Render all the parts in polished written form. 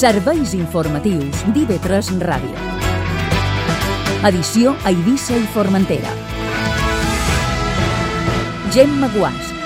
Serveis informatius d'IV3 Ràdio. Edició a Eivissa i Formentera. Gemma Guàs.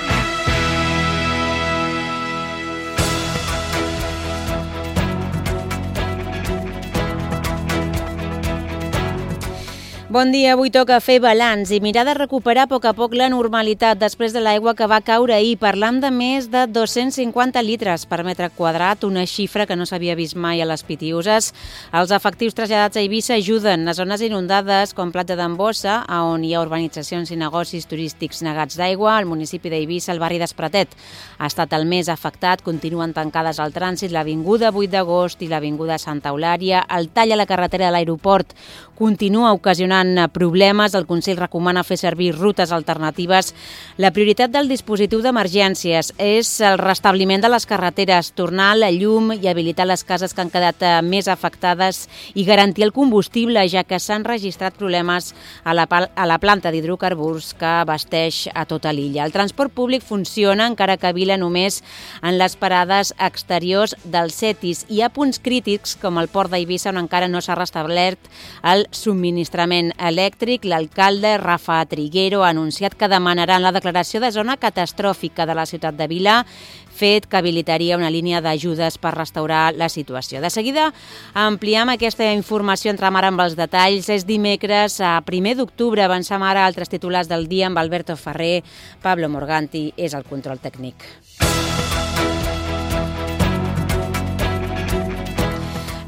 Bon dia, avui toca fer balanç i mirar de recuperar a poc la normalitat després de l'aigua que va caure ahir. Parlam de més de 250 litres per metre quadrat, una xifra que no s'havia vist mai a les Pitiüses. Els efectius traslladats a Eivissa ajuden a zones inundades com Platja d'en Bossa, on hi ha urbanitzacions i negocis turístics negats d'aigua. Al municipi d'Eivissa, el barri d'Espratet ha estat el més afectat. Continuen tancades al trànsit l'avinguda 8 d'agost i l'avinguda Santa Eulària. El tall a la carretera de l'aeroport continua ocasionant problemes. El Consell recomana fer servir rutes alternatives. La prioritat del dispositiu d'emergències és el restabliment de les carreteres, tornar la llum i habilitar les cases que han quedat més afectades i garantir el combustible, ja que s'han registrat problemes a la planta d'hidrocarburs que abasteix a tota l'illa. El transport públic funciona, encara que a Vila només en les parades exteriors dels CETIs. Hi ha punts crítics, com el port d'Eivissa, on encara no s'ha restablert el subministrament elèctric. L'alcalde Rafa Triguero ha anunciat que demanaran la declaració de zona catastròfica de la ciutat de Vila, fet que habilitaria una línia d'ajudes per restaurar la situació. De seguida ampliem aquesta informació, entrem ara amb els detalls. És dimecres, a 1 d'octubre. Avancem ara a altres titulars del dia amb Alberto Ferrer. Pablo Morganti és el control tècnic.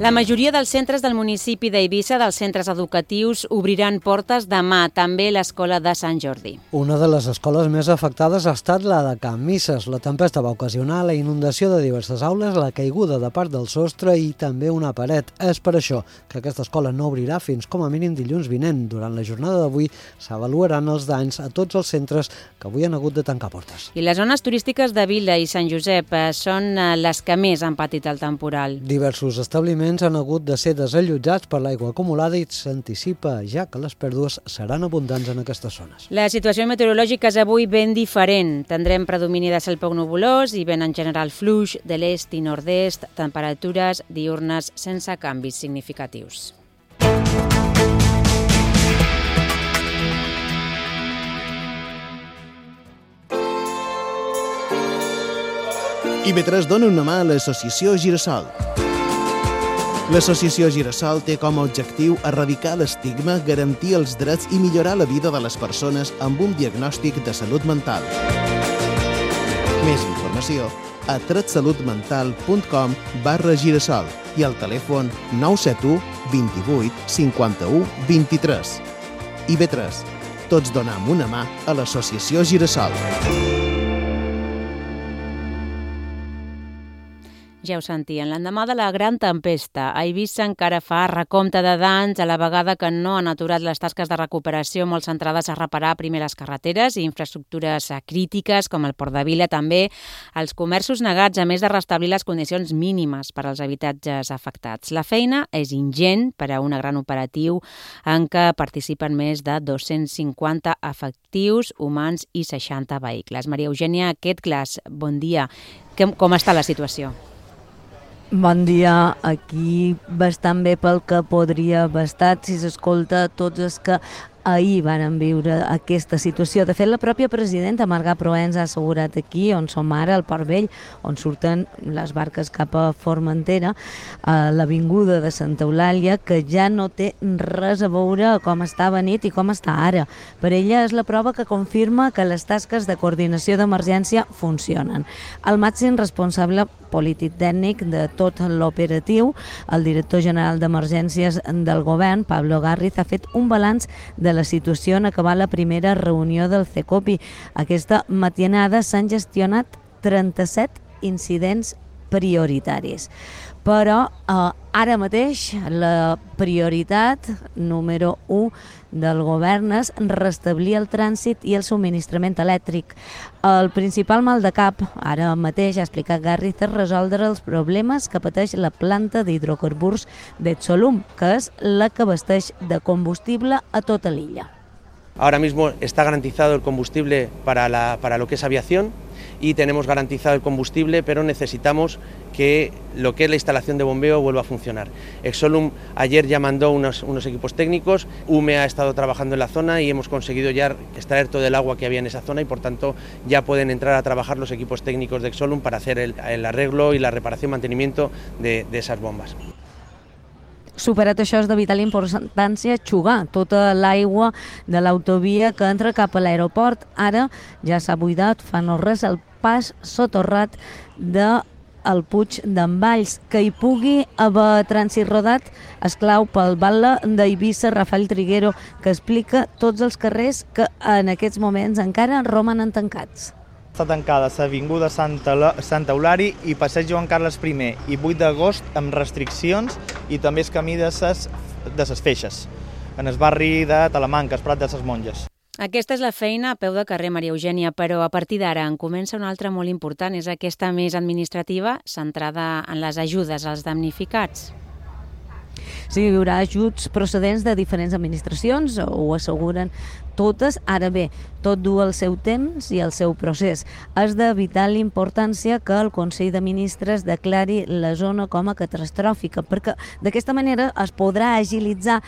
La majoria dels centres del municipi d'Eivissa, dels centres educatius, obriran portes demà, també l'escola de Sant Jordi. Una de les escoles més afectades ha estat la de Can Misses. La tempesta va ocasionar la inundació de diverses aules, la caiguda de part del sostre i també una paret. És per això que aquesta escola no obrirà fins com a mínim dilluns vinent. Durant la jornada d'avui s'avaluaran els danys a tots els centres que avui han hagut de tancar portes. I les zones turístiques de Vila i Sant Josep són les que més han patit el temporal. Diversos establiments han hagut de ser desallotjats per l'aigua acumulada i s'anticipa ja que les pèrdues seran abundants en aquestes zones. La situació meteorològica és avui ben diferent. Tindrem predomini de cel poc nuvolós i vent en general fluix de l'est i nord-est, temperatures diürnes sense canvis significatius. IV3 dona una mà a l'associació Girassol. L'associació Girassol té com a objectiu erradicar l'estigma, garantir els drets i millorar la vida de les persones amb un diagnòstic de salut mental. Més informació a tretsalutmental.com/Girassol i al telèfon 971 28 51 23. IV3. Tots donem una mà a l'associació Girassol. Ja ho sentien, l'endemà de la gran tempesta, a Eivissa encara fa recompte de danys, a la vegada que no han aturat les tasques de recuperació molt centrades a reparar primer les carreteres i infraestructures crítiques, com el Port de Vila, també els comerços negats, a més de restablir les condicions mínimes per als habitatges afectats. La feina és ingent per a un gran operatiu en què participen més de 250 efectius humans i 60 vehicles. Maria Eugènia Quetglas, bon dia. Com està la situació? Bon dia, aquí bastant bé pel que podria haver estat si s'escolta tots els que ahir varen viure aquesta situació. De fet, la pròpia presidenta Marga Proens ha assegurat aquí, on som ara, al Port Vell, on surten les barques cap a Formentera, a l'avinguda de Santa Eulàlia, que ja no té res a veure com estava nit i com està ara. Per ella és la prova que confirma que les tasques de coordinació d'emergència funcionen. El màxim responsable polític tècnic de tot l'operatiu, el director general d'Emergències del govern, Pablo Garriz, ha fet un balanç de la situació en acabar la primera reunió del CECOPI. Aquesta matinada s'han gestionat 37 incidents prioritaris. Però ara mateix la prioritat número 1 del govern és restablir el trànsit i el subministrament elèctric. El principal mal de cap, ara mateix, ha explicat Garriz, és resoldre els problemes que pateix la planta d'hidrocarburs d'Etsolum, que és la que abasteix de combustible a tota l'illa. Ahora mismo está garantizado el combustible para lo que es aviación y tenemos garantizado el combustible, pero necesitamos que lo que es la instalación de bombeo vuelva a funcionar. Exolum ayer ya mandó unos equipos técnicos, UME ha estado trabajando en la zona y hemos conseguido ya extraer todo el agua que había en esa zona y por tanto ya pueden entrar a trabajar los equipos técnicos de Exolum para hacer el arreglo y la reparación y mantenimiento de esas bombas. Superat això, és de vital importància xugar tota l'aigua de l'autovia que entra cap a l'aeroport. Ara ja s'ha buidat fa no res el pas soterrat del Puig d'en Valls. Que hi pugui haver trànsit rodat és clau pel batlle d'Eivissa, Rafael Triguero, que explica tots els carrers que en aquests moments encara romanen tancats. Està tancada l'Avinguda Santa Eulària i Passeig Joan Carles I i 8 d'agost amb restriccions i també el camí de ses Feixes, en el barri de Talamanca, el Prat de ses Monges. Aquesta és la feina a peu de carrer, Maria Eugènia, però a partir d'ara en comença una altra molt important, és aquesta més administrativa, centrada en les ajudes als damnificats. Sí, hi haurà ajuts procedents de diferents administracions, ho asseguren totes. Ara bé, tot du el seu temps i el seu procés. És de vital importància que el Consell de Ministres declari la zona com a catastròfica, perquè d'aquesta manera es podrà agilitzar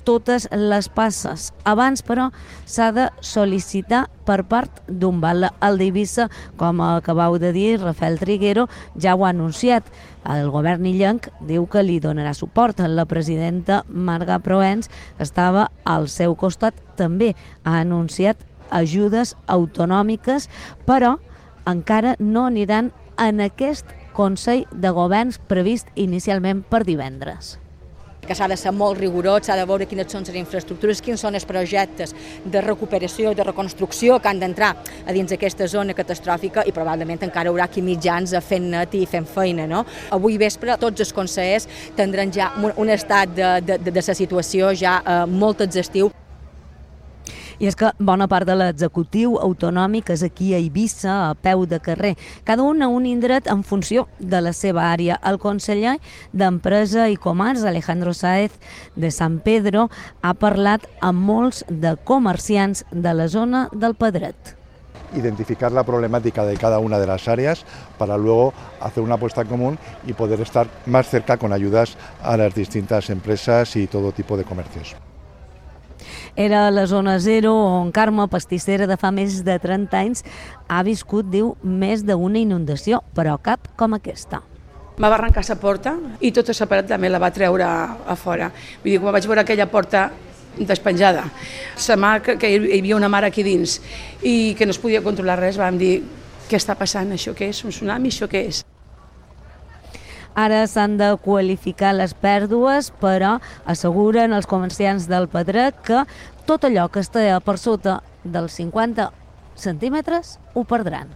totes les passes. Abans, però, s'ha de sol·licitar per part d'un batlle. El d'Eivissa, com acabau de dir, Rafael Triguero, ja ho ha anunciat. El govern illenc diu que li donarà suport. La presidenta Marga Proens estava al seu costat, també ha anunciat ajudes autonòmiques, però encara no aniran en aquest Consell de Governs previst inicialment per divendres. Que s'ha de ser molt rigorós, s'ha de veure quines són les infraestructures, quins són els projectes de recuperació i de reconstrucció que han d'entrar a dins d'aquesta zona catastròfica i probablement encara haurà aquí mitjans fent net i fent feina. No? Avui vespre tots els consellers tindran ja un estat de la situació ja molt exhaustiu. I és que bona part de l'executiu autonòmic és aquí a Eivissa, a peu de carrer, cada un a un indret en funció de la seva àrea. El conseller d'Empresa i Comerç, Alejandro Sáez de San Pedro, ha parlat amb molts de comerciants de la zona del Pedret. Identificar la problemática de cada una de las áreas para luego hacer una apuesta común y poder estar más cerca con ayudas a las distintas empresas y todo tipo de comercios. Era la zona 0 on Carme, pastissera de fa més de 30 anys, ha viscut, diu, més d'una inundació, però cap com aquesta. Va arrencar la porta i tota la paret també la va treure a fora. Vull dir, quan vaig veure aquella porta despenjada, la mà, que hi havia una mare aquí dins i que no es podia controlar res, vam dir, què està passant, això què és, un tsunami, això què és? Ara s'han de qualificar les pèrdues, però asseguren els comerciants del Pedret que tot allò que està per sota dels 50 centímetres ho perdran.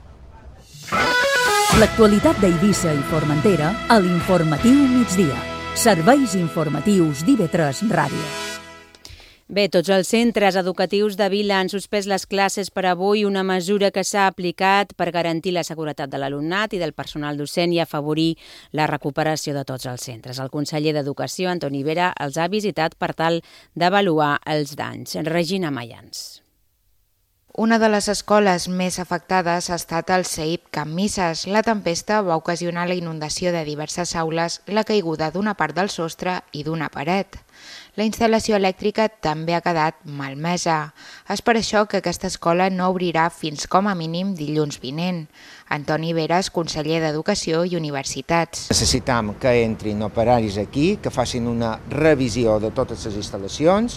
L'actualitat d'Eivissa i Formentera a l'Informatiu Migdia. Serveis informatius d'IV3 Ràdio. Bé, tots els centres educatius de Vila han suspès les classes per avui, una mesura que s'ha aplicat per garantir la seguretat de l'alumnat i del personal docent i afavorir la recuperació de tots els centres. El conseller d'Educació, Antoni Vera, els ha visitat per tal d'avaluar els danys. Regina Mayans. Una de les escoles més afectades ha estat el CEIP Can Misses. La tempesta va ocasionar la inundació de diverses aules, la caiguda d'una part del sostre i d'una paret. La instal·lació elèctrica també ha quedat malmesa. És per això que aquesta escola no obrirà fins com a mínim dilluns vinent. Antoni Veras, conseller d'Educació i Universitats. Necessitam que entrin operaris aquí, que facin una revisió de totes les instal·lacions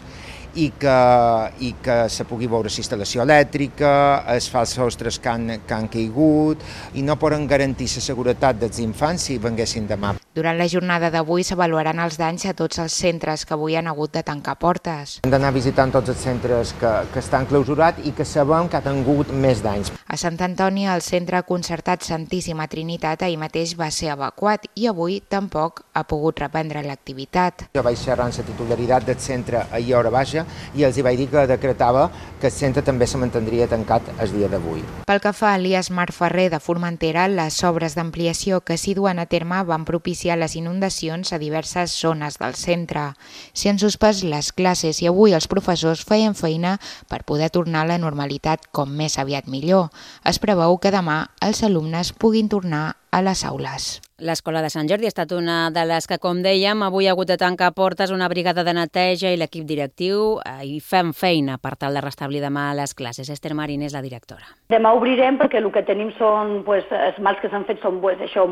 i que se pugui veure la instal·lació elèctrica, els falsos sostres que han caigut i no poden garantir la seguretat dels infants si venguessin demà. Durant la jornada d'avui s'avaluaran els danys a tots els centres que avui han hagut de tancar portes. Hem d'anar visitant tots els centres que estan clausurats i que sabem que han tingut més danys. A Sant Antoni, el centre concertat Santíssima Trinitat ahir mateix va ser evacuat i avui tampoc ha pogut reprendre l'activitat. Jo vaig xerrar amb la titularitat del centre ahir a hora baixa i els vaig dir que decretava que el centre també se mantindria tancat el dia d'avui. Pel que fa a Elias Mar Ferrer de Formentera, les obres d'ampliació que s'hi duen a terme van propiciar iniciar les inundacions a diverses zones del centre. S'hi han suspès les classes i avui els professors feien feina per poder tornar a la normalitat com més aviat millor. Es preveu que demà els alumnes puguin tornar a les aules. L'Escola de Sant Jordi ha estat una de les que, com dèiem, avui ha hagut de tancar portes una brigada de neteja i l'equip directiu hi fem feina per tal de restablir demà les classes. Esther Marín és la directora. Demà obrirem perquè el que tenim són, els mals que s'han fet són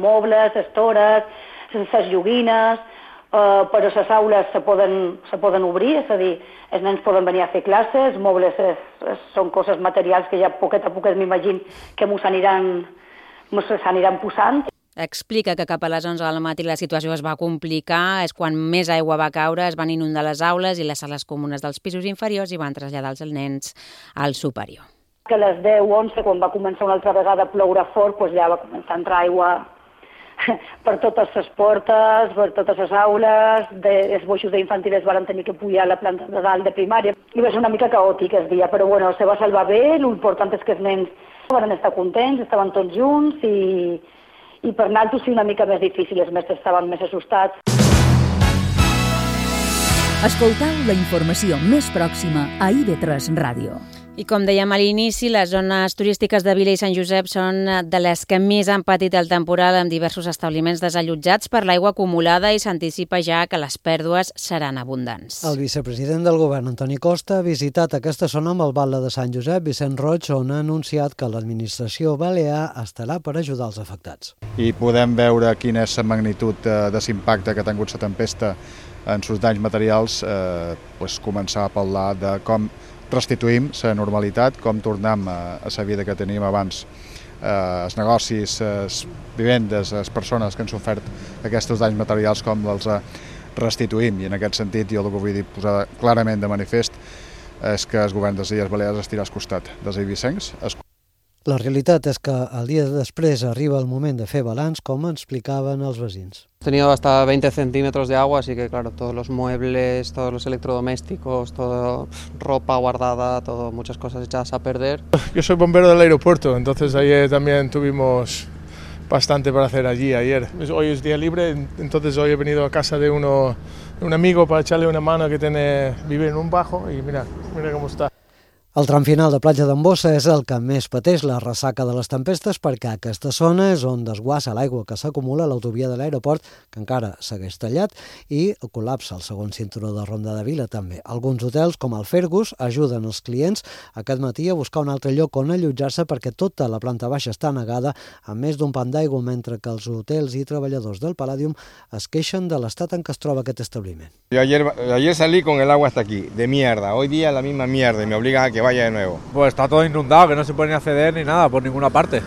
mobles, estores, les joguines, però les aules se poden obrir, és a dir, els nens poden venir a fer classes, mobles són coses materials que ja poquet a poquet m'imagino que s'aniran posant. Explica que cap a les 11 del matí la situació es va complicar, és quan més aigua va caure, es van inundar les aules i les sales comunes dels pisos inferiors i van traslladar els nens al superior. Que a les 10-11, quan va començar una altra vegada a ploure fort, ja va començar a entrar aigua per totes les portes, per totes les aules, els boixos d'infantil es van tenir que pujar a la planta de dalt de primària. I va ser una mica caòtic el dia, però bueno, se va salvar bé, l'important és que els nens van estar contents, estaven tots junts i per nosaltres sí una mica més difícil, els mestres estaven més assustats. Escoltau la informació més pròxima a IB3 Ràdio. I com dèiem a l'inici, les zones turístiques de Vila i Sant Josep són de les que més han patit el temporal, amb diversos establiments desallotjats per l'aigua acumulada, i s'anticipa ja que les pèrdues seran abundants. El vicepresident del govern, Antoni Costa, ha visitat aquesta zona amb el batlle de Sant Josep, Vicent Roig, on ha anunciat que l'administració balear estarà per ajudar els afectats. I podem veure quina és la magnitud de l'impacte que ha tingut la tempesta en els danys materials, començar a parlar de com restituïm la normalitat, com tornem a la vida que teníem abans. Els negocis, les vivendes, les persones que han sofert aquests danys materials, com els restituïm. I en aquest sentit jo el que vull dir, posar clarament de manifest és que el govern de les Illes Balears estirà al costat dels eivissencs. La realitat és que el dia després arriba el moment de fer balanç, com explicaven els veïns. He tenido hasta 20 centímetros de agua, así que claro, todos los muebles, todos los electrodomésticos, toda ropa guardada, muchas cosas echadas a perder. Yo soy bombero del aeropuerto, entonces ayer también tuvimos bastante para hacer allí ayer. Hoy es día libre, entonces hoy he venido a casa de un amigo para echarle una mano que vive en un bajo y mira cómo está. El tram final de Platja d'en Bossa és el que més pateix la ressaca de les tempestes, perquè aquesta zona és on desguassa l'aigua que s'acumula a l'autovia de l'aeroport, que encara segueix tallat, i col·lapsa el segon cinturó de Ronda de Vila també. Alguns hotels, com el Fergus, ajuden els clients aquest matí a buscar un altre lloc on allotjar-se, perquè tota la planta baixa està negada amb més d'un pam d'aigua, mentre que els hotels i treballadors del Palladium es queixen de l'estat en què es troba aquest establiment. Yo ayer salí con el agua hasta aquí, de mierda. Hoy día la misma mierda y me obligan a que vaya de nuevo. Pues está todo inundado, que no se puede ni acceder ni nada por ninguna parte.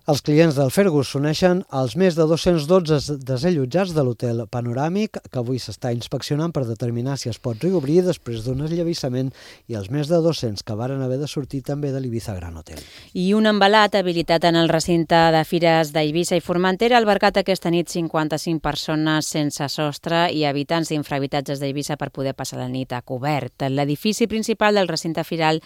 Els clients del Fergus s'uneixen als més de 212 desallotjats de l'hotel Panoràmic, que avui s'està inspeccionant per determinar si es pot reobrir després d'un esllavissament, i els més de 200 que varen haver de sortir també de l'Ibiza Gran Hotel. I un embalat habilitat en el recinte de fires d'Eivissa i Formentera ha albergat aquesta nit 55 persones sense sostre i habitants d'infrahabitatges d'Eivissa per poder passar la nit a cobert. L'edifici principal del recinte firal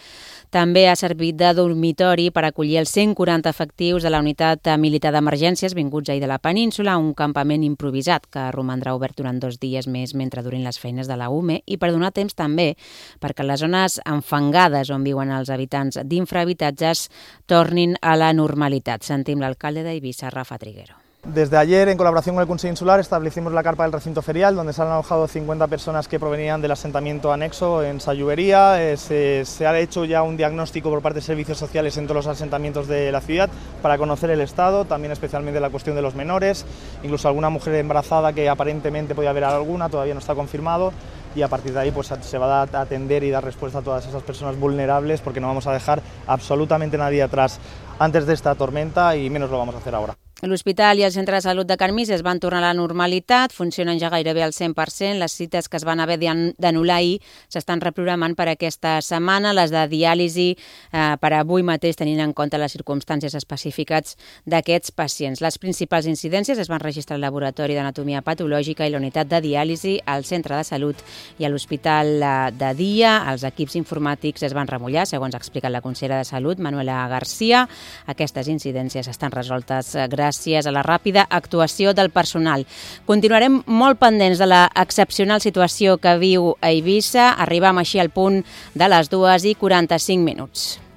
també ha servit de dormitori per acollir els 140 efectius de la unitat militar d'emergències vinguts ahir de la península, un campament improvisat que romandrà obert durant 2 dies més mentre durin les feines de la UME, i per donar temps també perquè les zones enfangades on viuen els habitants d'infrahabitatges tornin a la normalitat. Sentim l'alcalde d'Eivissa, Rafa Triguero. Desde ayer, en colaboración con el Consejo Insular, establecimos la carpa del recinto ferial, donde se han alojado 50 personas que provenían del asentamiento anexo en Sallubería. Se ha hecho ya un diagnóstico por parte de servicios sociales en todos los asentamientos de la ciudad para conocer el estado, también especialmente la cuestión de los menores, incluso alguna mujer embarazada que aparentemente podía haber alguna, todavía no está confirmado. Y a partir de ahí se va a atender y dar respuesta a todas esas personas vulnerables, porque no vamos a dejar absolutamente nadie atrás antes de esta tormenta y menos lo vamos a hacer ahora. L'Hospital i el Centre de Salut de Can Misses van tornar a la normalitat, funcionen ja gairebé al 100%. Les cites que es van haver d'anul·lar ahir s'estan reprogramant per aquesta setmana, les de diàlisi per avui mateix, tenint en compte les circumstàncies específiques d'aquests pacients. Les principals incidències es van registrar al Laboratori d'Anatomia Patològica i la unitat de diàlisi al Centre de Salut i a l'Hospital de Dia. Els equips informàtics es van remullar, segons ha explicat la consellera de Salut, Manuela García. Aquestes incidències estan resoltes gràcies gràcies a la ràpida actuació del personal. Continuarem molt pendents de la excepcional situació que viu a Eivissa. Arribam així al punt de les 2:45.